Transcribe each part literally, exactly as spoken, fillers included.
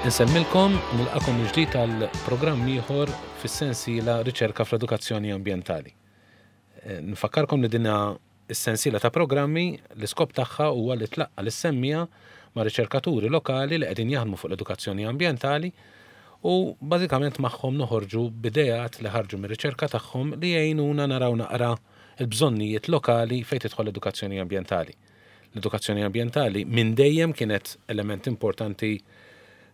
Insellmilkom, nilqagħkom mill-ġdid għal programm ieħor fis-sensiela Riċerka fl-Edukazzjoni Ambjentali. Eh, Nfakkarkom li dina is-sensiela ta' programmi l-iskop tagħha huwa li tlaqqa' lis-semmiegħa ma' riċerkaturi lokali li qegħdin jaħdmu fuq l-edukazzjoni ambjentali u bażikament magħhom noħorġu b'ideat li ħarġu mir-riċerka tagħhom li jgħinuna naraw naqra il-bżonnijiet lokali fejn tidħol l-edukazzjoni ambjentali. L-edukazzjoni ambjentali minn dejjem kienet element importanti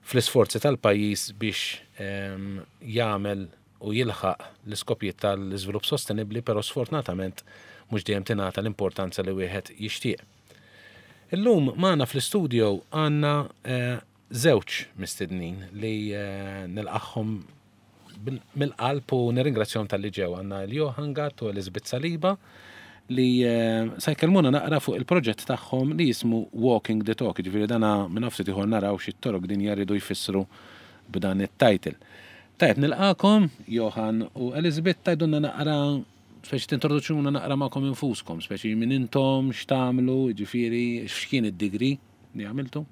fl-isforzi tal-pajjiż biex ehm, jagħmel u jilħaq l-iskopijiet tal-iżvilupp sostenibbli, però sfortunatament mhux dejjem tingħata l-importanza li wieħed jixtieq. Illum magħna fl-istudio għandna eh, żewġ mistednin li eh, nilqagħhom bil- mill-qalb u nirringrazzjahom talli ġew. Għandna l-Johan Gatt u Elizabeth Saliba li eh, sa jkellmuna naqra fuq il-proġett tagħhom li jismu Walking the Talk, ġifieri dana minn ftit ieħor naraw xi torok din jridu jfissru b'dan it-title. Tajb, nilqagħkom, Johan u Elizabeth, tgħidulna naqra, speċi tintroduċuna naqra magħkom infuskom, speċi minn intom, x'tagħmlu, ġifieri x'kien id-degree li għamiltu?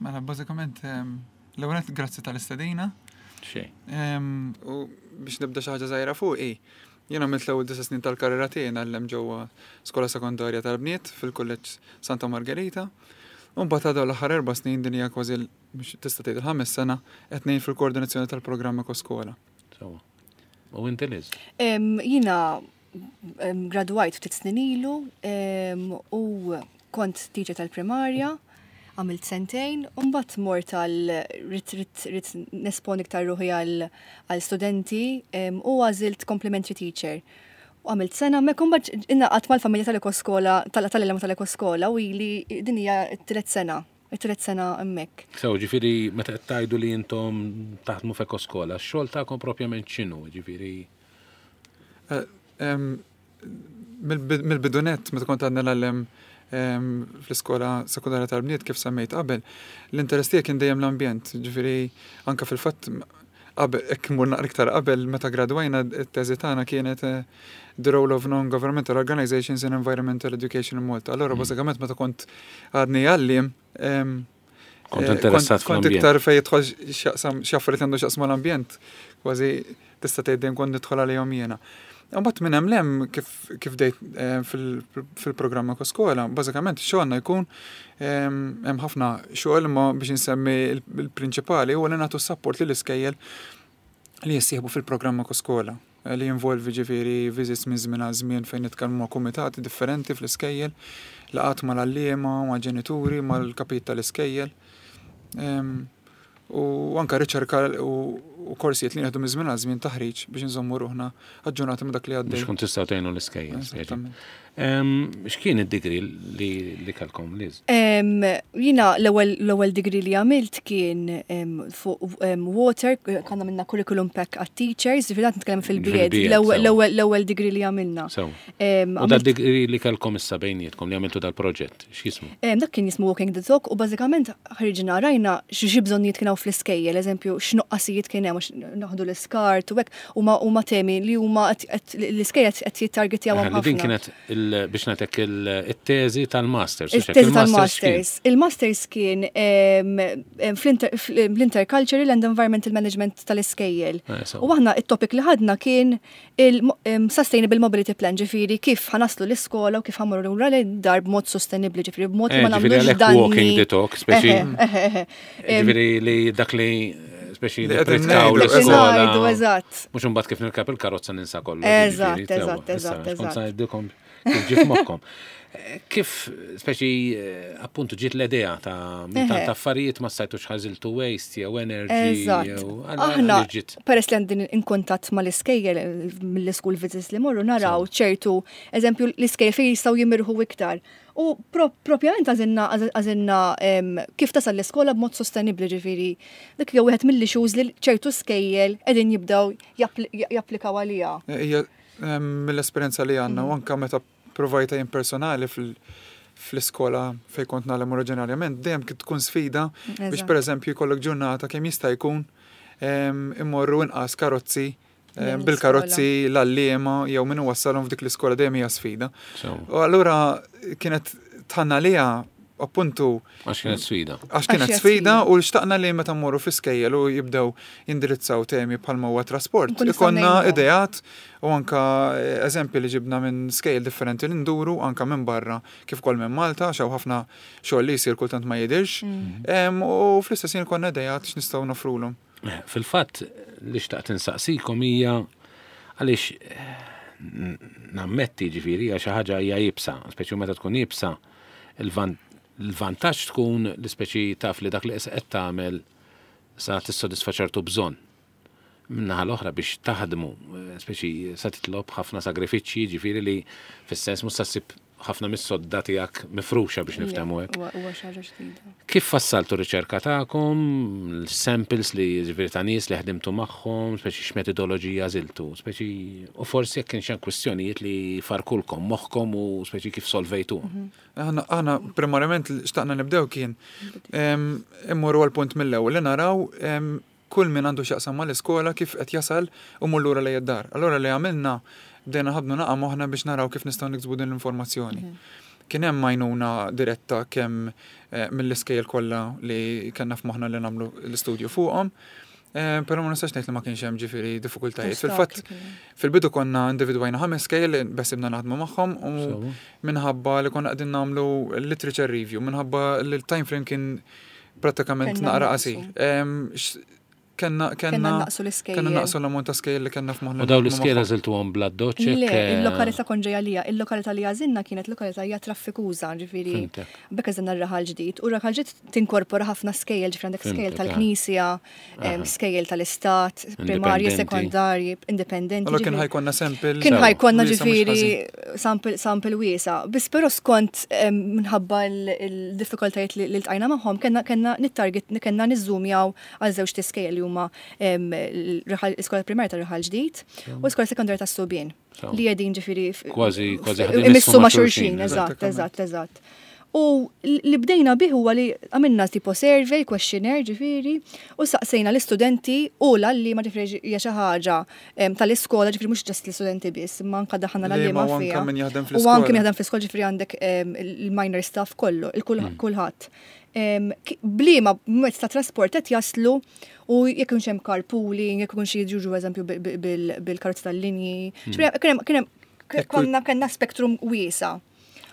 Mela, bażikament, em, l-ewwel nett grazzi tal-istedina. Xejn. Em, U biex nibda xi ħaġa żgħira fuq, jiena għamilt l-ewwel disa' snin tal-karriera tiegħi ngħallem ġewwa skola sekondarja tal-bniet fil-Kulleġġ Santa Margherita. U mbagħad għadaw l-aħħar erba' snin, din hija kważi l- biex tista' tgħid il-ħames sena, qed ngħin fil-koordinazzjoni tal-programm Ekoskola. Sewwa. U inti, Liz? Em, Jiena em, gradwajt ftit snin ilu em, u kont teacher tal-primarja, għamilt sentejn, u mbagħad mort għal ridt ridt ridt nesponi iktar ruħi għal għal studenti em, u għażilt complementary teacher. U għamilt sena, mek mbagħad ingħaqadt mal-familja tal-Ekoskola, tal-għalliema tal-Ekoskola u ili din hija t-tielet sena, it-tielet sena hemmhekk. Sew, ġifieri, meta qed tgħidu li intom taħdmu f'Ekoskola, x-xogħol tagħkom propjament x'inhu, ġifieri? Eh, em, Mill-bidu nett, meta kont għadni ngħallem em, fl-iskola sekundarja tal-bniet, kif semmejt qabel, l-interess tiegħi kien dejjem l-ambjent, ġifieri anka fil-fatt qabel, hekk immur naqra iktar qabel, meta gradwajna, it-teżi tagħna kienet eh, The Role of Non-Governmental Organizations in Environmental Education in Malta. Allora, bażikament meta kont għadni għalliem, em, Kont eh, interessat kont fl-ambjent. Iktar fejn jidħol x'jaqsam xi affarijiet għandu x'jaqsmu l-ambjent, kważi tista' tgħid dejjem kont nidħol għalihom jiena. Imbagħad minn hemm 'l hemm kif kif bdejt eh, fil- fil-programm Ekoskola, bażikament xogħolna jkun em, hemm ħafna xogħol, imma biex insemmi il- il-prinċipali huwa li nagħtu support lill iskejjel li jissieħbu fil-programm Ekoskola eh, li jinvolvi ġifieri visits minn żmien għal żmien fejn nitkellmu ma' kumitati differenti fl-iskejjel, laqgħat mal-għalliema, ma' ġenituri, mal-kapit tal-iskejjel. Em, U anka riċerka u u korsijiet li nieħdu minn żmien għal żmien, taħriġ biex nżommu ruħna aġġornati ma' dak li għaddej. Biex kun tistgħu tgħinu l-iskejjel. Speċi. Eżattament. Em, X'kien id-degree li li kellkom, Liz? Em, Jiena l-ewwel l-ewwel degree li għamilt kien em, fuq em, water, konna minna curriculum pack għat teachers, ġifieri qed nitkellem fil-B Ed, Fil-B Ed, l-ewwel sewa. l-ewwel l-ewwel degree li għamilna. Sew. Em, U għamilt- dad-degree li kellkom issa bejnietkom li għamiltu dal-proġett, x'jismu? Em, Dak kien jismu Walking the Talk u bażikament ħriġna rajna xi xi bżonnijiet kien hawn fl-iskejjel, eżempju x'nuqqasijiet kien hemm għax naħdu l-iskart u hekk, huma huma temi li huma qed- qed- l-iskejjel qed jittargetjawhom Li din ħafna. kienet il- biex ngħidlek il-teżi tal-masters. U x'hekk, Il-teżi il-masters x'kien? tal-masters. Il-masters kien em, em, fl-inter- fl-intercultural and environmental management tal-iskejjel. Eh, sew. U aħna it-topic li ħadna kien il-Sustainable Mobility Plan, ġifieri kif ħa naslu l-iskola u kif ħa mmorru lura lid-dar b'mod sostenibli, ġifieri b'mod li Eh, ma ġifieri nagħmlux għalhekk danni. Walking the Talk, speċi. Eħe, eħe, eħe. Em, Ġifieri li dak li speċi Li li qegħdin pritkaw ngħidu, l-iskola. Ngħidu, eżatt. Mhux imbagħad kif nirkab il-karozza ninsa kollu. Eżatt, ġifieri, eżatt, sewa. Issa, eżatt, x'kont eżatt. sa ngħidilkom kif ġie f'moħħkom. Eh, Kif, speċi, eh, appuntu ġiet l-idea ta' minn tant Eħe. affarijiet ma stajtux ħażiltu waste jew energy Eżatt. jew għal- Aħna, għal ġiet? Peress li għandin in kuntatt ma l-iskejjel, mill-school visits li morru, naraw ċertu, eżempju, l-iskejjel fejn jistgħu jimirħu iktar. U pro propjament għażilna għażilna em, kif tasal l-iskola b'mod sostenibli, ġifieri. Dik jew wieħed mill-issues li ċertu skejjel qegħdin jibdew jappli- japplikaw għalija. Hija em, mill-esperjenza li għandna u anka meta provajta jien personali fil- fl-iskola fejn kont ngħallem oriġinarjament, dejjem kien tkun sfida biex Eżatt. pereżempju jkollok ġurnata kemm jista' jkun em, immorru inqas karozzi em, Lejn bil-karozzi l-għalliema jew min wassalhom f'dik l-iskola, dejjem hija sfida. Sew. U allura kienet tħanna lija Appuntu Għax kienet sfida. Għax kienet Għax hija sfida sfida. u xtaqna li meta mmorru fi skejjel u jibdew jindirizzaw temi bħalma huwa trasport. Nkunu nistgħu Ikollna ngħinuhom. ideat u anka eh, eżempji li ġibna minn skejjel differenti li nduru anka minn barra kif ukoll minn Malta, xaw ħafna xogħol li jsir kultant ma jidirx. Mm. Em, U fl-istess ħin ikollna ideat x'nistgħu nofrulhom. Eh, Fil-fatt li xtaqt insaqsikom hija għaliex eh, n- nammetti ġifieri hija xi ħaġa hija iebsa, speċi meta tkun iebsa, il-van- il-vantaġġ tkun li speċi taf li dak li qed tagħmel sa tissodisfa ċertu bżonn. Min-naħa l-oħra biex taħdmu, eh, speċi sa titlob ħafna sagrifiċċji, ġifieri li fis-sens mhux sa ssib ħafna mis-sodda tiegħek mifruxa biex niftehmu hekk. Huwa huwa xi ħaġa ġdida. Kif fassaltu riċerka tagħkom, l-samples li ġifieri ta' nies li ħdimtu magħhom, speċi x'metodoloġija għażiltu, speċi u forsi jekk kienx hemm kwistjonijiet li farkulkom moħħkom u speċi kif solvejtu. Aħna aħna primarjament li xtaqna nibdew kien em, immorru għal punt mill-ewwel li naraw em, kull min għandu x'jaqsam mal-iskola kif qed jasal u mur lura lejn id-dar. Allura li għamilna bdejna ħabnu naqa' moħħna biex naraw kif nistgħu niksbu din l-informazzjoni. Kien hemm għajnuna diretta kemm eh, mill-iskejjel kollha li kellna f'moħħna li nagħmlu l-istudju fuqhom. Eh, Però ma nistax ngħid li ma kienx hemm ġifieri diffikultajiet. Fil-fatt Ostakli kien hemm. fil-bidu konna individwajna ħames skejjel li beħsiebna naħdmu magħhom u Sewa. minħabba li konna qegħdin nagħmlu literature review, minħabba li l-time frame kien prattikament Kellna naqra naqsu. qasir. Em, x- Kenna Kellna kenna naqsu l-iskejjel. kenna naqsu l-ammont ta' skejjel li kellna f'moħħna. U daw li l-iskejjel naħdmu magħhom. għażiltuhom bl-addoċċ Le, il-lokalità kont ġejja lija, il-lokalità li għażilna kienet lokalità hija traffikuża, ġifieri. Fhimtek. Bekk għażilna r-raħal ġdid. U r-raħal ġdid tinkorpora ħafna skejjel, ġifieri għandek skejjel Fhimtek, tal-Knisja, em, skejjel tal-Istat, primarji, Indipendenti. sekondarji, indipendenti. Allora kien ġifieri- ħa jkollna sample. Kien ħa jkollna wiesa' mhux ġifieri ħażin. sample, sample wiesa. Biss però skont em, minħabba l-diffikultajiet li li ltqajna magħhom, kellna kellna nittarget kellna niżżumjaw għal żewġ tiskejjel li huma em, l-raħal- l-iskola primarja tar-raħal ġdid u l-iskola sekondarja tas-Subien. Sewa. Li qegħdin ġifieri f- Kważi- kważi f- ħadin imissu ma' xulxin, xulxin, eżatt, eżattament. eżatt, eżatt. U li bdejna bih huwa li għamilna tipo survey, questionnaire ġifieri, u saqsejna l-istudenti u l-għalliema ġifieri hija xi ħaġa em, tal-iskola ġifieri mhux just l-istudenti biss, imma anka daħħalna Li ma l-għalliema u anka fiha. min jaħdem U fl-iskola. anke min jaħdem fl-iskola ġifieri għandek em, il-minor staff kollu, il-kulħadd. B'liema mezz ta' trasport qed jaslu u jekk ikunx hemm carpooling, jekk ikunx jiġu eżempju bil- bil- bil-karozza tal-linji. Ġifieri kien hemm- kien hemm konna kellna spektrum wiesa.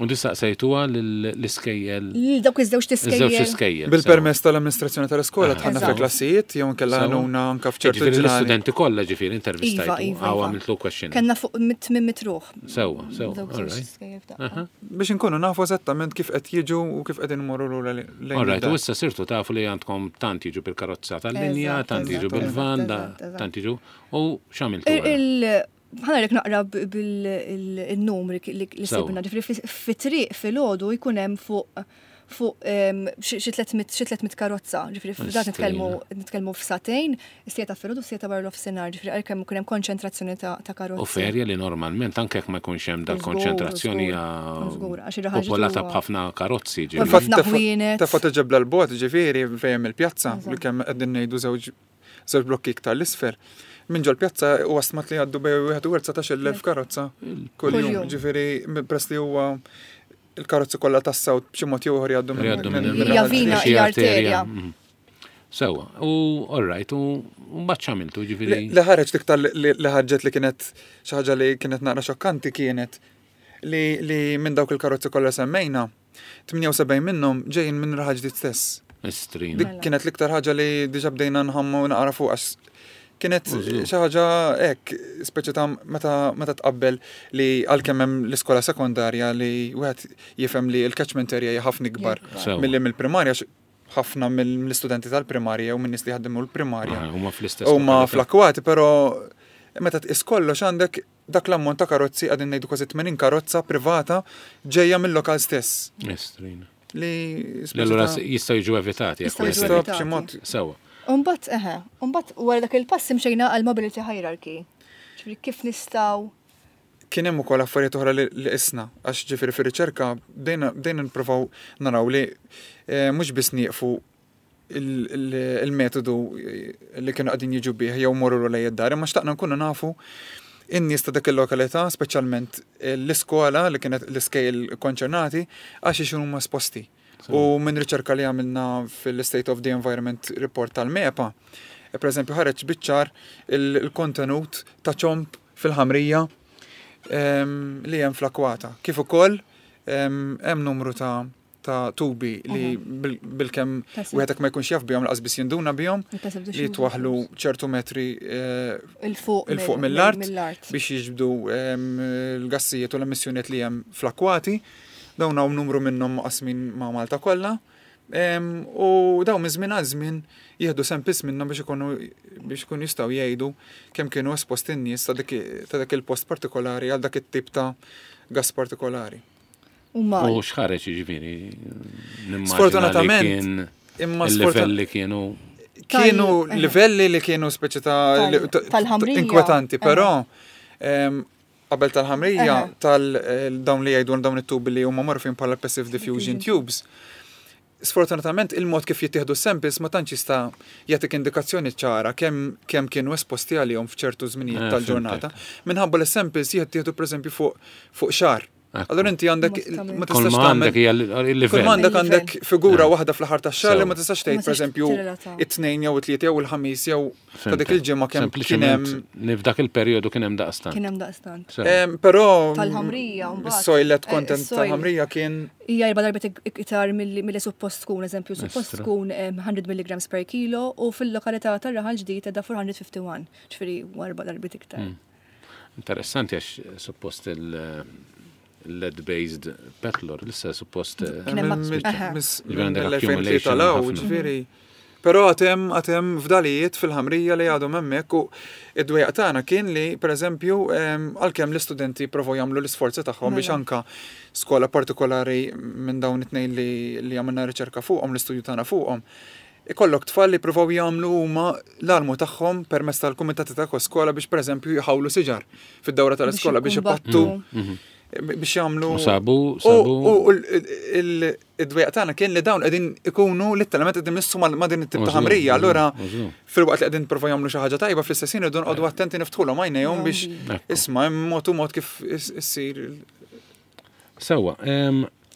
U distaqsejtuha l-iskejjel. Lil dawk iż-żewġ Iż-żewġ tiskejjel. iskejjel. Bil-permess tal-amministrazzjoni tal-iskola Aha. dħalna Eżatt. fil-klassijiet jew nkella Sewa. għajnuna anka f'ċertu Ġifieri ġrani. l-istudenti kollha ġifieri Iva, intervistajtu. iva. Għaw iva. għamiltlu questionnaire. Kellna fuq mit mitt ruħ. Sewa, sewa, Dawk all iż-żewġ right. tiskejjel f'daqqa. Biex inkunu nafu eżattament kif qed jiġu u kif qegħdin imorru lura lejn All right, id-dar. u issa sirtu tafu li għandkom tant jiġu bil-karozza tal-linja, Eżatt, tant jiġu eżatt, bil-van, da- eżatt, eżatt. tant jiġu. U x'għamiltu? Il- wara? il- ħa nagħrek naqra bil-numri li li Sewa. sibna, ġifieri fi- fit-triq filgħodu jkun hemm fuq fuq em, xi xi tliet mitt xi tliet mitt karozza, ġifieri f'dak nitkellmu nitkellmu f'sagħtejn, is-siegħa filgħodu u siegħa wara nofsinhar, ġifieri għalkemm ikun hemm konċentrazzjoni ta' ta' karozzi. U f'erja li normalment anke jekk ma jkunx hemm Żgur, dal-konċentrazzjoni żgur, hija żgur, għax ir-raħal popolata ġdid huwa- b'ħafna karozzi U ġifieri. ħafna Tefa- ħwienet. Tefa ġebla l-bot, ġifieri, fejn il-pjazza, Eżatt. li kemm qegħdin ngħidu żewġ żewġ blokki iktar l-isfel. Minn ġol pjazza u stmat li għaddu bejn wieħed u dsatax-il elf karozza kull Kull jum. jum. Ġifieri, press li huwa il-karozzi kollha tas-sawt b'xi mod jew ieħor jgħaddu Jgħaddu minn Hija raħal vina, ġdid. xi hija arterja. Mhm. Sewa, u all right, u mbagħad x'għamiltu ġifieri. Li li ħareġ l-iktar li li ħarġet li kienet xi ħaġa li kienet naqra xokkanti kienet li li minn dawk il-karozzi kollha semmejna, tmienja u sebgħin minnhom ġejjin minn raħal ġdid stess. Istrina. Dik kienet l-iktar ħaġa li diġà bdejna nħammu naqra fuq għax kienet Użgur. xi ħaġa hekk, speċi ta' meta meta tqabbel li għalkemm hemm l-iskola sekondarja li wieħed jifhem li l-catchment area hija ħafna ikbar Sewa. milli mill-primarja għax ħafna mill-istudenti tal-primarja u minn nies li ħaddimu l-primarja. Ah, Huma fl-istess. Huma lokalità. fl-akkwati, però meta tqis kollox għandek dak l-ammont ta' karozzi qegħdin ngħidu kważi tmenin karozza privata ġejja mill-lokal stess. Istrina. Li Li allura jistgħu jiġu evitati jekk Jistgħu jiġu wieħed- Jista' evitati. b'xi mod Sewa. Umbat, eħe, umbat wara dak il-pass imxejna għal mobility hierarchy. Ġifieri kif nistgħu kien hemm ukoll affarijiet oħra li li qisna għax ġifieri fir-riċerka bdejna bdejna nippruvaw naraw li eh, mhux biss nieqfu il- il- il-metodu eh, li kienu qegħdin jiġu bih jew morru lejn id-dar, imma xtaqna nkunu nafu in-nies ta' dik il-lokalità, speċjalment eh, l-iskola li kienet l-iskejjel konċernati, għax huma esposti. U minn riċerka li għamilna fil-State of the Environment Report tal-MEPA, per eżempju ħareġ biċ-ċar il-kontenut ta' ċomb fil-ħamrija li hemm fl-akwata. Kif ukoll hemm numru ta' ta' tubi li bil-kemm wieħed ma jkunx jaf bihom laqas biss jinduna bihom li jitwaħlu ċertu metri il fuq mill-art biex jiġbdu l-gassijiet u l-emissjonijiet li hemm fl-akwati. Dawn hawn numru minnhom maqsmin ma' Malta kollha. U dawn minn żmien għal żmien jieħdu samples minnhom biex ikunu biex ikunu jistgħu jgħidu kemm kienu esposti n-nies ta' dak il-post partikolari għal dak it-tip ta' gas partikolari. U x'ħareġ jiġifieri? Sfortunatament, imma il-livelli kienu kienu livelli li kienu speċi ta' inkwetanti, però qabel tal-ħamrija tal-dawn li jgħidu dawn it-tubi li huma magħrufin bħala passive diffusion tubes. Sfortunatament il-mod kif jittieħdu samples ma tantx jista' jagħtik indikazzjoni ċara kemm kemm kienu esposti għalihom f'ċertu żminijiet tal-ġurnata. Minħabba li samples jittieħdu pereżempju fuq fuq xahar. Allora inti għandek ma tistax tagħmel kull għandek għandek figura waħda fl-aħħar tax-xahar li ma tistax tgħid pereżempju it-tnejn jew it-tlieta jew il-ħamis jew ta' dik il-ġimgħa kemm kien hemm f'dak il-perjodu kien hemm daqstant. Kien hemm daqstant. Però tal-ħamrija mbagħad. Is-soil lead content tal-ħamrija kien hija erba' darbiet iktar milli suppost tkun, eżempju, suppost tkun mija milligrams per kilo u fil-lokalità tar-Raħal Ġdid qiegħda four hundred fifty-one, ġifieri erba' darbiet iktar. Interessanti għax suppost il lead-based petlor, lissa suppost mill-elfejn tlieta ġifieri. Però għatem għatem fdalijiet fil-ħamrija li għadhom hemmhekk u id-dwejjaq tagħna kien li pereżempju għalkemm l-istudenti provaw jagħmlu l-isforzi tagħhom biex anka skola partikolari minn dawn it-tnejn li li għamilna riċerka fuqhom, l-istudju tagħna fuqhom, ikollok tfal li provaw jagħmlu huma l-almu tagħhom permezz tal-kumitati ta' skola biex pereżempju jħawlu siġar fid-dawra tal-iskola biex ipattu biex jagħmlu. Sabu, sabu. U id-dwejjaq tagħna kien li dawn qegħdin ikunu litteralment qegħdin missu ma' din it-tip ta' ħamrija. Allura filwaqt li qegħdin provaw jagħmlu xi ħaġa tajba fl-istess ħin irridu nqogħdu attenti niftħulhom għajnejhom biex isma' hemm mod u mod kif issir. Sewwa,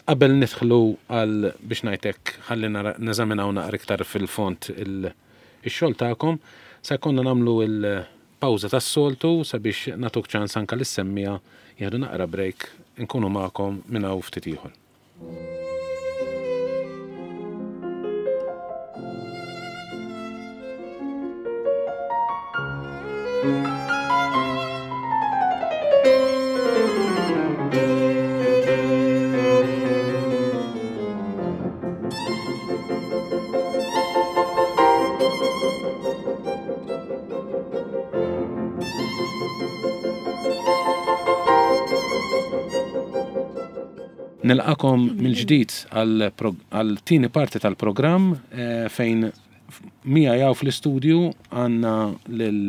qabel nidħlu għal biex ngħidlek ħalli neżaminaw naqra iktar fil-fond ix-xogħol tagħkom, se jkollna nagħmlu il-pawża tas-soltu sabiex nagħtuk ċans anke lis-semmija jieħdu naqra break, nkunu magħkom minn hawn ftit ieħor. Nilqakom mill-ġdid għal tieni parti tal-programm fejn mija jaw fl-istudju għandna lil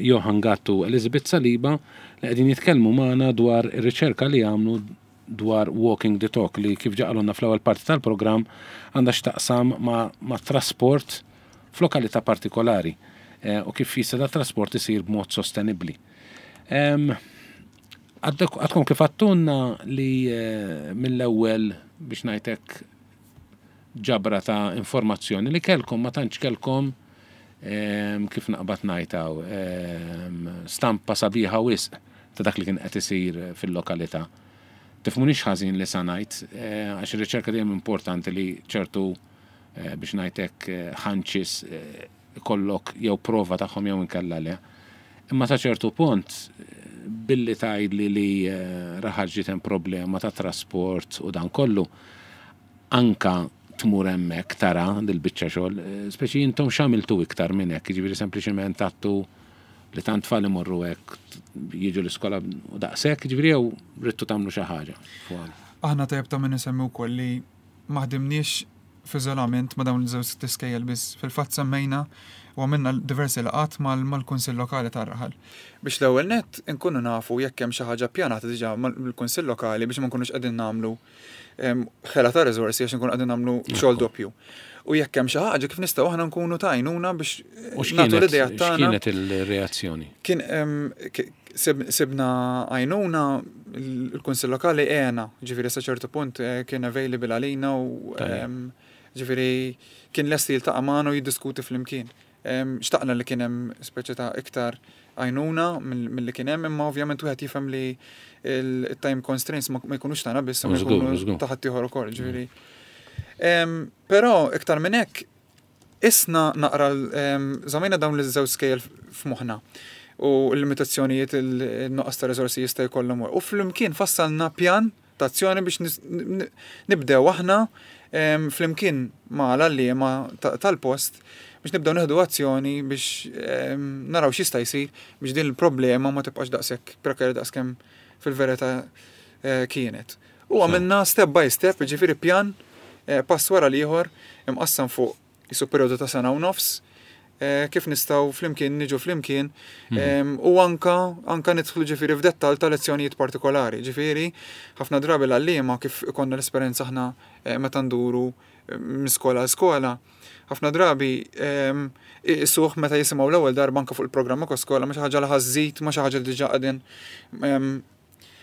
Johan Gattu Elizabeth Saliba li qegħdin jitkellmu magħna dwar ir-riċerka li għamlu dwar Walking the Talk li kif ġaqalunna fl-ewwel parti tal-programm għandha x'taqsam ma' trasport f'lokalità partikolari u kif jista' da trasport isir b'mod sostenibbli. Għadkom kif għattunna li mill-ewwel biex ngħidlek ġabra ta' informazzjoni li kelkom ma tantx kelkom kif naqbad ngħidhaw stampa sabiħa wisq ta' dak li kien qed isir fil-lokalità. Tifhmunix ħażin li sa ngħid għax ir-riċerka dejjem importanti li ċertu biex ngħidlek ħanċis ikollok jew prova tagħhom jew inkella le. Imma ta' ċertu punt billi tgħidli li Raħal Ġdid hemm problema ta' trasport u dan kollu, anka tmur hemmhekk tara dil-biċċa xogħol, speċi intom x'għamiltu iktar minn hekk, jiġifieri sempliċement għattu li tant tfal imorru hekk jiġu l-iskola u daqshekk, jiġifieri jew ridtu tagħmlu xi ħaġa. Aħna tajjeb ta' min insemmi wkoll li ma ħdimniex f'iżolament ma' dawn iż-żewġ tiskejjel biss. Fil-fatt semmejna u għamilna diversi laqgħat mal-Kunsill Lokali tar-Raħal. Biex l-ewwel nett inkunu nafu jekk hemm xi ħaġa ppjanata diġà mill-Kunsill Lokali biex ma nkunux qegħdin nagħmlu ħela ta' riżorsi għax inkunu qegħdin nagħmlu xogħol doppju. U jekk hemm xi ħaġa kif nistgħu aħna nkunu ta' għajnuna biex nagħtu l-idea tagħna. X'kienet il-reazzjoni? Kien sibna għajnuna il-Kunsill Lokali għena, ġifieri sa ċertu punt eh, kien available għalina u Tajjeb. em, ġifieri kien lest jiltaqa' magħna u jiddiskuti flimkien. Em, Xtaqna li kien hemm speċi ta' iktar għajnuna mill- milli kien hemm, imma ovvjament wieħed jifhem li il-time constraints ma ma jkunux tagħna biss, ma Żgur, jkunu żgur. ta' ħaddieħor ukoll, ġifieri. Em, Però iktar minn hekk isna naqra l- żammejna dawn l-żewġ skejjel f'moħħna u l-limitazzjonijiet il-nuqqas ta' riżorsi jista' jkollhom. U flimkien fassalna pjan ta' azzjoni biex nis- n- nibdew aħna em, flimkien ma' l-għalliema ta- tal-post biex nibdew nieħdu azzjoni biex em, naraw x'jista' jsir biex din il-problema ma tibqax daqshekk prekarja daqskemm fil-verità eh, kienet. U għamilna step by step, ġifieri pjan eh, pass wara l-ieħor imqassam fuq jisu periodu ta' sena u nofs, eh, kif nistgħu flimkien niġu flimkien em, u anka anka nidħlu ġifieri f'dettal ta' lezzjonijiet partikolari. Ġifieri ħafna drabi l-għalliema kif ikonna l-esperjenza aħna eh, meta nduru eh, minn skola għal skola, ħafna drabi em, isuħ meta jisimgħu l-ewwel darba anka fuq il-programma EkoSkola ma xi ħaġa li ħa żżid, ma xi ħaġa li diġà qegħdin em,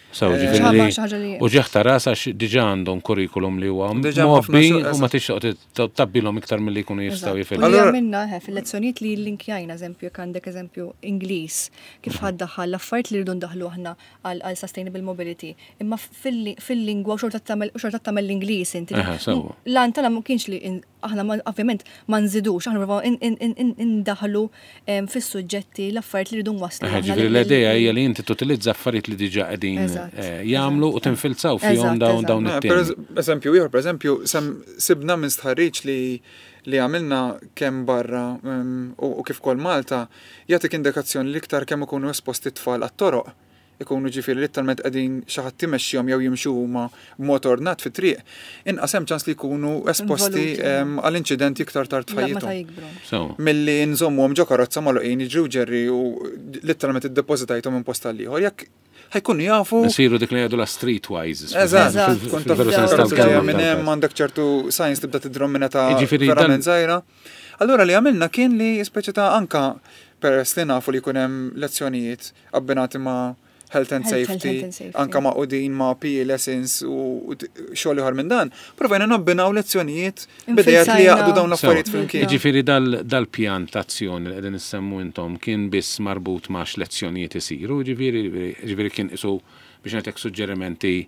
Sew, Eh, ġifieri Xi li ħaġa li uġigħ ta' ras għax diġà għandhom kurrikulum li huwa Diġà ħafna mgħobbi xogħol, u ma tixtieq tabbilhom iktar milli jkunu jistgħu Eżatt. U jifilmu. li Allura- għamilna eh, fil-lezzjonijiet li linkjajna, eżempju, jekk għandek eżempju Ingliż, kif ħa ddaħħal l-affarijiet li rridu ndaħlu aħna għal għal sustainable mobility. Imma fil- fil-lingwa u xorta tagħmel u xorta tagħmel l-Ingliż inti. Eħe, sewwa. L-għan tagħna ma kienx li in- aħna ma- ovvjament ma nżidux, aħna provaw in- in- in- in- indaħlu em, fis-suġġetti l-affarijiet li rridu nwasslu. Eħe, aħna ġifieri lil- l-idea hija li inti tutilizza affarijiet li diġà qegħdin Eżatt, eh, jagħmlu u eżatt. tinfilzaw fihom Eżatt, dawn eżatt. dawn Eh, Per it-temi. eżempju, ieħor, per eżempju, sem sibna minn stħarriġ li li għamilna kemm barra um, u, u kif kol Malta, jagħtik indikazzjoni li iktar kemm ikunu esposti tfal għat-toroq. Ikunu ġifieri literalment qegħdin xi ħadd imexxihom jew jimxu huma b'mod ordnat fit-triq. Inqas hemm ċans li jkunu esposti Involuti. em, għal inċidenti iktar tard La, Meta f'ħajjithom. jikbru. Sew. Milli nżommuhom ġo karozza magħluqin jiġru ġerri u literalment iddepożitajthom minn post għal ieħor. Jekk ħa jkunu jafu Nsiru dik li jgħidu la streetwise. Eżatt, Eżatt. tkun taf Fil-veru sens karozza ġejja tal-kelma. minn hemm għandek ċertu signs tibda tidrom minn ta' Jiġifieri dan- verament żgħira. Allura li għamilna kien li speċi ta' anka peress li nafu li jkun hemm lezzjonijiet abbinati ma' health and Health- health safety, and safety. anka ma' udin ma' P E lessons u u t- xogħol ieħor minn dan, provajna nabbinaw lezzjonijiet bidejat li Infilzajna. jaqdu dawn l-affarijiet Sew. flimkien. Jiġifieri dal- dal-pjan ta' azzjoni li qegħdin issemmu intom kien biss marbut ma' x'lezzjonijiet isiru, ġifieri ġifieri kien isu biex ngħidlek suġġerimenti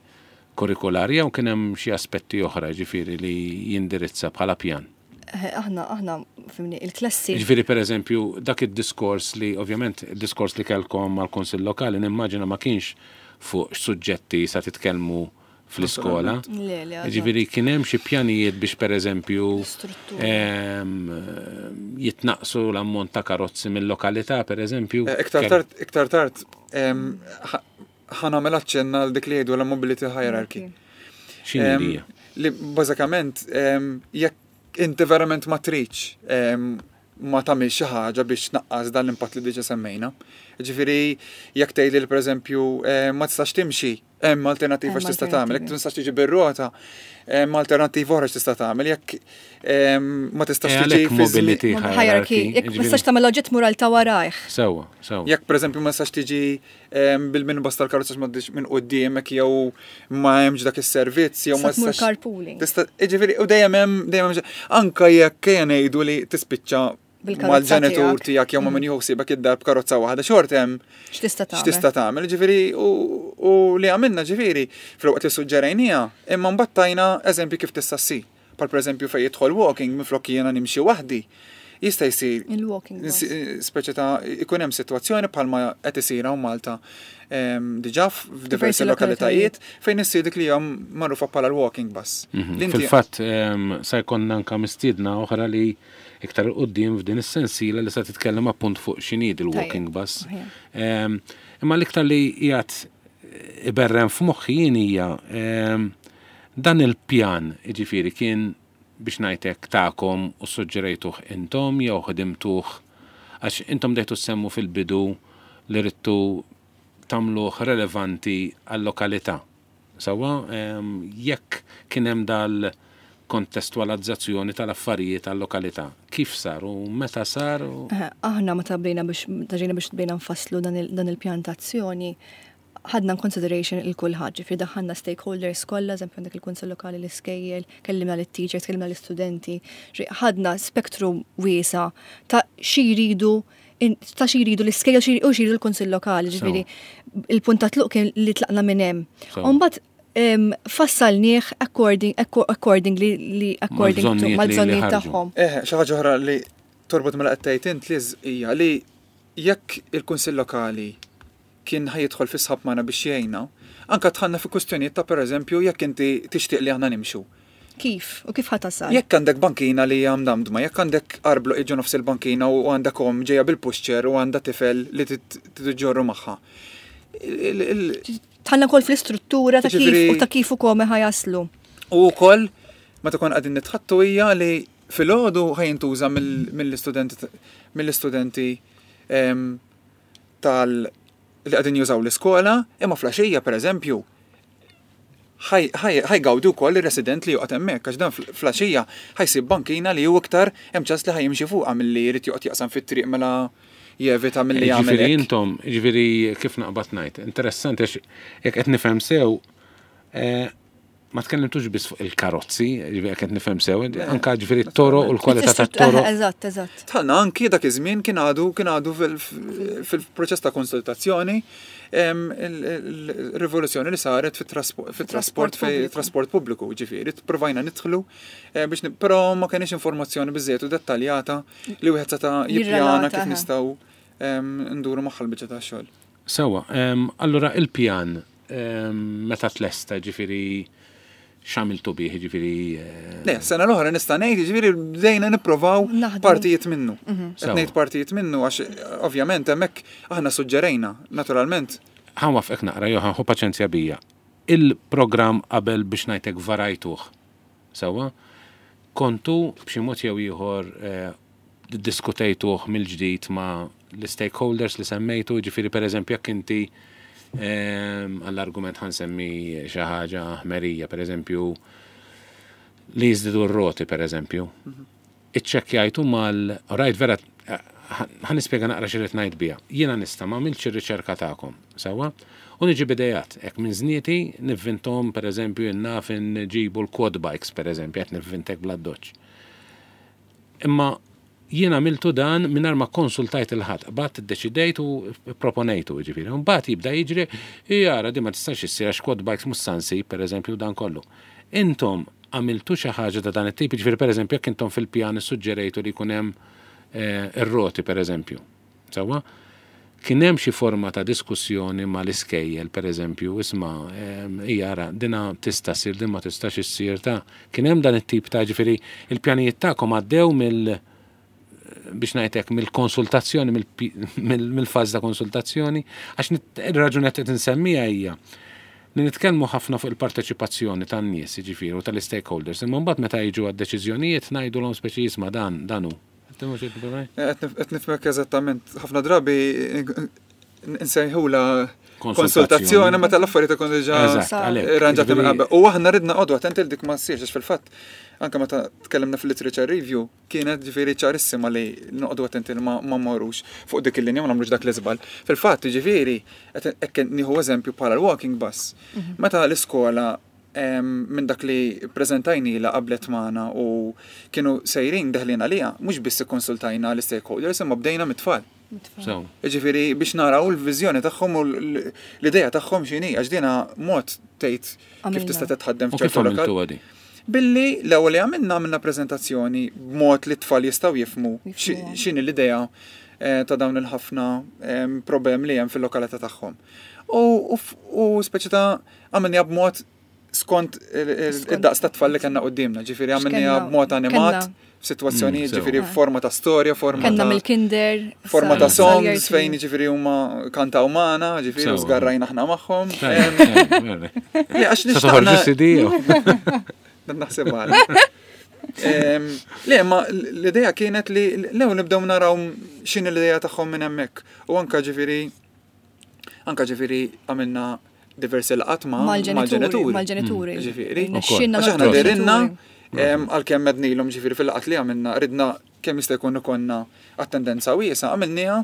kurrikulari jew kien hemm xi aspetti oħra ġifieri li jindirizza bħala pjan. Eh, Aħna, aħna, fhimni, il-klassi. Ġifieri per eżempju dak id-diskors li ovvjament id-diskors li kellkom mal-Kunsill Lokali nimmaġina ma kienx fuq suġġetti sa titkellmu fl-iskola. Le, le, eżatt. Ġifieri kien hemm xi pjanijiet biex per eżempju Struttura. em, jitnaqsu l-ammont ta' karozzi mill-lokalità per eżempju. Eh, Iktar tard, iktar tard, em, ħa- ħa nagħmel aċċenna għal dik li jgħidu la mobility hierarchy. X'inhi Em, hija? Li bażikament em, jekk inti verament ma tridx em, ma tagħmel xi ħaġa biex tnaqqas dan l-impatt li diġà semmejna. Ġifieri jekk tgħidli li pereżempju em, ma tistax timxi, hemm alternattiva Hemm x'tista' tagħmel, jekk alternattivi. tistax tiġi bir-rota, hemm alternattiva oħra x'tista' tagħmel, jekk em, ma tistax Eh, tiġi għalhekk fi żmien- mobility Hierarchy. hierarchy. Jekk ma ġifieri- tistax tagħmel oġġett mural ta' warajh. Sewwa, sewwa. Jekk pereżempju ma tistax tiġi em, bil-minibus tal-karozza m'għaddix minn quddiemek jew ma hemmx dak is-servizz jew ma Sa tmur tistax carpooling. Tista' jiġifieri u dejjem hemm dejjem hemm anka jekk ejja ngħidu li tispiċċa Bil-karozza mal-ġenitur tiegħek. tiegħek jew ma' min jieħu ħsiebek id-dar b'karozza waħda xorta hemm X'tista' tagħmel? x'tista' tagħmel, ġifieri u, u li għamilna ġifieri fil-waqt li suġġerejnija, imma mbagħad tajna eżempju kif tista' ssir. Bħal pereżempju fejn jidħol walking minflok jiena nimxi waħdi. Jista' jsir Il-walking bus. speċi ta' ikun hemm sitwazzjoni bħalma qed isir hawn Malta em, diġà f'diversi Diversi lokalitajiet fejn issir dik li hija magħrufa bħala l-walking bus. Mhm. Li inti- Fil-fatt em, sa jkollna anka mistiedna oħra li iktar 'il quddiem f'din is-sensiela li sa titkellem appunt fuq x'inhi il-walking Tajjeb. bus. Aħjar. Em, Imma l-iktar li qiegħed iberren f'moħħi jien hija em, dan il-pjan jiġifieri kien biex ngħidlek tagħkom u suġġerejtuh intom jew ħdimtuh għax intom bdejtu semmu fil-bidu li ridtu tagħmluh relevanti għal-lokalità. Sewwa, em, jekk kien hemm dal-kontestualizzazzjoni tal-affarijiet għal-lokalità, kif sar u meta sar? U... Eh, Aħna meta bdejna biex meta ġejna biex bdejna nfasslu dan il- dan il-pjan ta' azzjoni, ħadna consideration il-kulħadd, ġifieri daħħalna stakeholders kollha, eżempju għandek il-Kunsill Lokali, l-iskejjel, kellimna l-teachers, kellimna l-istudenti, ħadna spektru wiesa ta' xi jridu ta' xi jridu l-iskejjel u xi jridu l-Kunsill Lokali, ġifieri il-punt ta' tluq kien li tlaqna minn hemm. Mbagħad fassalnieh according accordingly li according to mal-bżonnijiet tagħhom. Eh, xi ħaġa oħra li torbot mela qed tgħid int Liz hija li jekk il-Kunsill Lokali kien ħa jidħol fi sħab magħna biex jgħinna, anka dħalna fi kwistjonijiet ta' pereżempju jekk inti tixtieq li aħna nimxu. Kif? U kif ħa tasal? Jekk għandek bankina li hija mdamdma, jekk għandek arblu iġu nofs il-bankina u għandek omm ġejja bil-pushchair u għandha tifel li tiġġorru magħha. Dħalna wkoll fl-istruttura ta' kif u ta' kif ukoll ħa jaslu. U wkoll meta kon qegħdin nitħattu hija li filgħodu ħa jintuża mill-istudenti mill-istudenti tal li qegħdin jużaw l-iskola, imma filgħaxija pereżempju ħa jgawdu wkoll ir-resident li joqgħod hemmhekk għax dan filgħaxija ħa jsib bankina li hu iktar hemm ċans li ħa jimxi fuqha milli jrid joqgħod jaqsam fit-triq mela jevita milli jagħmel. Ġifieri intom, ġifieri kif naqbad ngħid, interessanti għax jekk qed nifhem sew eh, ma tkellimtux biss fuq il-karozzi, ġifieri qed nifhem sew, anka ġifieri t-toroq u l-kwalità tat-toroq. Eżatt, eżatt. Dħalna anki dak iż-żmien kien għadu kien għadu fil-proċess ta' konsultazzjoni il-rivoluzzjoni li saret fit-trasport fit-trasport pubbliku, ġifieri, provajna nidħlu eh, biex però ma kienx informazzjoni biżejjed u dettaljata li wieħed seta' jippjana kif nistgħu nduru magħha l-biċċa tax-xogħol. Sewa, allura il-pjan meta tlesta, ġifieri x'għamiltu bih, ġifieri. Eh, Le, sena l-oħra nista' ngħid, ġifieri bdejna nipprovaw partijiet minnu. Mhm. Qed ngħid partijiet minnu għax ovvjament hemmhekk aħna suġġerejna, naturalment. Ħa nwaqqfek naqra, Johan, ħu paċenzja bija. Il-programm qabel biex ngħidlek varajtuh. Sewa, kontu b'xi mod jew ieħor eh, diskutejtuh mill-ġdid ma' l-stakeholders li semmejtu, ġifieri per eżempju jekk inti għall-argument ħa nsemmi xi ħaġa ħmerija, per eżempju, li jiżdiedu r-roti, per eżempju. Iċċekkjajtu mal, rajt vera, ħa nispjega naqra x'irrid ngħid bija. Jiena nista' ma għamiltx ir-riċerka tagħkom, sewwa? U niġi b'idejat, hekk minn żnieti nivvintom per eżempju naf nġibu l-quad bikes per eżempju, qed nivvintek bla doċ. Imma jiena għamiltu dan mingħajr ma konsultajt lil ħadd, bat iddeċidejt u proponejtu, ġifieri. Mbagħad jibda jiġri, jara di ma tistax issir għax quad bikes mhux sa nsib, per eżempju, dan kollu. Intom għamiltu xi ħaġa ta' dan it-tip, ġifieri per eżempju jekk intom fil-pjan issuġġerejtu li jkun hemm eh, ir-roti per eżempju. Sewwa? Kien hemm xi forma ta' diskussjoni mal-iskejjel, per eżempju, isma' jara, dina tista' ssir, din ma tistax issir ta' kien hemm dan it-tip ta' ġifieri il-pjanijiet tagħkom għaddew mill biex ngħidlek mill-konsultazzjoni, mill-fażi ta' konsultazzjoni, għax ir-raġuni qed insemmija hija li nitkellmu ħafna fuq il-parteċipazzjoni tan-nies, jiġifieri, u tal-stakeholders, imma mbagħad meta jiġu għad-deċiżjonijiet ngħidulhom speċi jisma' dan dan hu. Qed nifhmek eżattament. Ħafna drabi nsejħula konsultazzjoni meta l-affarijiet ikun diġà ranġati minn qabel. U aħna ridna noqogħdu attenti li dik ma ssirx għax fil-fatt anke meta tkellimna fil-literature review kienet ġifieri ċarissima li noqogħdu attenti li ma mmorrux fuq dik il-linja ma nagħmlux dak l-iżball. Fil-fatt ġifieri hekk nieħu eżempju bħala l-walking bus. Mhm. Meta l-iskola minn dak li prezentajni la qablet magħna u kienu sejrin deħlin għalija, mhux biss ikkonsultajna l-stakeholders imma bdejna mit-tfal. Ġifieri biex naraw l-viżjoni tagħhom u l-idea tagħhom x'inhi, għax dina mod tgħid kif tista' titħaddem f'ċertu lokal. Billi l-ewwel li għamilna għamilna preżentazzjoni b'mod li t-tfal jistgħu jifhmu x'inhi l-idea eh, ta' dawn il-ħafna problemi li hemm fil-lokalità tagħhom. U speċi ta' għamilniha b'mod skont id-daqs ta' tfal li kellna qudiemna, ġifieri għamilniha b'mod animat, f'sitwazzjonijiet, mm, ġifieri forma ta' storja, forma ta' mill-kinder. Forma ta' songs fejn ġifieri huma kantaw magħna, ġifieri u żgarrajna aħna magħhom. Le, għax nixtaqna. Naħseb għal. Le, ma l-idea kienet li l-ewwel nibdew naraw x'inhi l-idea tagħhom minn hemmhekk. U anka ġifieri anka ġifieri għamilna diversi laqgħat ma' mal-ġenituri. Mal-ġenituri. Ġifieri. Għax aħna dehrilna għalkemm għednielhom ġifieri fil-laqgħat li għamilna ridna kemm jista' jkun ikollna attendenza wiesgħa, għamilniha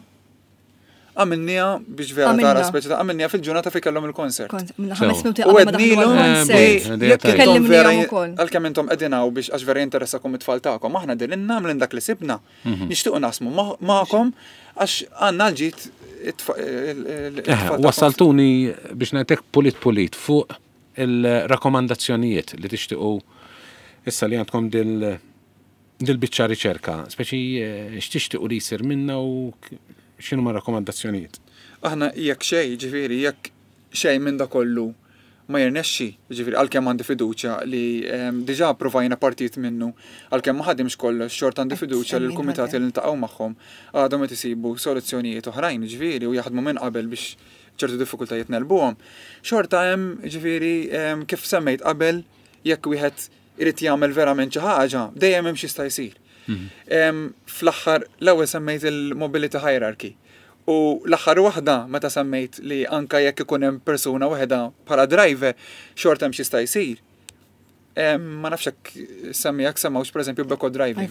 Għamilnieha biex vera tara speċi ta' għamilnieha fil-ġurnata fejn kellhom il-concert. Ħames minuti qabel ma daħlu għall-concert. Kellimniehom ukoll. Għalkemm intom qegħdin hawn biex għax vera jinteressakom it-tfal tagħkom, aħna dilinna għamlin dak li sibna. Nixtiequ naqsmu magħkom għax għandna l-ġid it-tfal. Wassaltuni biex ngħidlek pulit pulit fuq il-rakkomandazzjonijiet li tixtiequ issa li għandkom dil-biċċa riċerka, speċi x'tixtiequ li jsir minna u x'inhu ma rakkomandazzjonijiet? Aħna jekk xejn, ġifieri jekk xejn minn da kollu ma jirnexxi, ġifieri għalkemm għandi fiduċja li diġà provajna partijiet minnu, għalkemm ma ħadimx kollox, xorta għandi fiduċja li l-kumitati li niltaqgħu magħhom għadhom qed isibu soluzzjonijiet oħrajn, ġifieri u jaħdmu minn qabel biex ċertu diffikultajiet nelbuhom. Xorta hemm, ġifieri kif semmejt qabel, jekk wieħed irid jagħmel verament xi ħaġa, dejjem hemm xi jista' jsir. Fl-aħħar l-ewwel semmejt il-mobility hierarchy. U l-aħħar waħda meta semmejt li anka jekk ikun hemm persuna waħda bħala driver, xorta hemm xi jista' jsir. Ma nafx hekk semmi jekk semmawx pereżempju b'eco driving.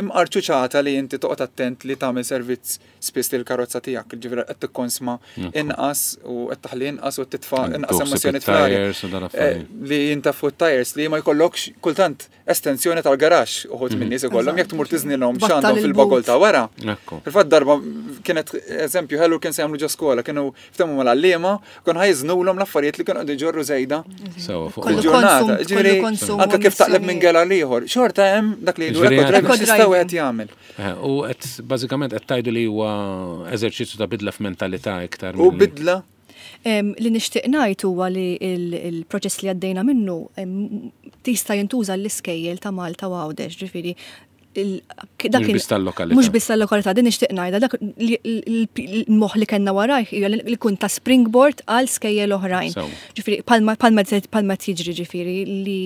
Imqar ċuċata li inti toqgħod attent li tagħmel servizz spiss lill-karozza tiegħek, ġifieri qed tikkonsma inqas u qed taħli inqas u titfa' inqas emissjoni fl-arja. Li jintafu t-tires li ma jkollokx kultant estensjoni tal-garaxx uħud minn nies ikollhom jekk tmur tiżnilhom x'għandhom fil-bagol ta' wara. Fil-fatt darba kienet eżempju ħelu kien se jagħmlu ġo skola, kienu ftehmu mal-għalliema, kienu ħajżnulhom l-affarijiet li kienu qegħdu jġorru żejda. Fil-ġurnata. Ġifieri anke kif taqleb minn gela l-ieħor, xorta hemm dak li jgħidu x'jista' wieħed jagħmel. U qed bażikament qed tgħidu li huwa eżerċizzju ta' bidla f'mentalità iktar. U bidla Li nixtieq ngħid huwa li il-proċess li għaddejna minnu tista' jintuża l-iskejjel ta' Malta u Għawdex, ġifieri dak mhux biss tal-lokalità, din nixtieq ngħidha, dak il-moħħ li kellna warajh hija li kun ta' springboard għal skejjel oħrajn. Ġifieri palma tiġri ġifieri li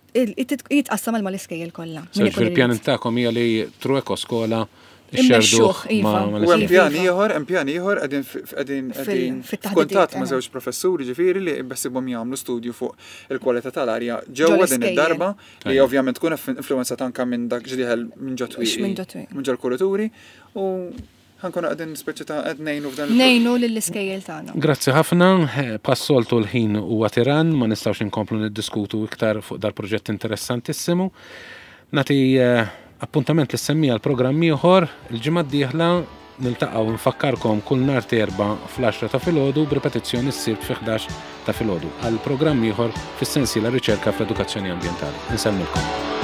jitqassam għal mal-iskejjel kollha. Fil-pjan tagħkom hija li tru ekoskola ixxerduh ma' U hemm pjan ieħor, hemm pjan ieħor qegħdin qegħdin qegħdin f'kuntatt ma' żewġ professuri ġifieri li beħsibhom jagħmlu studju fuq il-kwalità tal-arja ġewwa din id-darba li ovvjament tkun influwenzata anke minn dak ġdieħel minn ġo twieqi minn ġol-kurituri u ħankunu qegħdin speċi ta' qed ngħinu f'dan. Ngħinu lill-iskejjel tagħna. Grazzi ħafna, passoltu l-ħin huwa tiran, ma nistgħux inkomplu niddiskutu iktar fuq dal-proġett interessantissimu. Nagħti appuntament li semmija l-programm ieħor il-ġimgħa d-dieħla niltaqgħu nfakkarkom kull nhar erba' fl-għaxra ta' filgħodu b'ripetizzjoni ssir fi ħdax ta' filgħodu għal programm ieħor fis-sensiela riċerka fl-edukazzjoni ambjentali. Insellmilkom.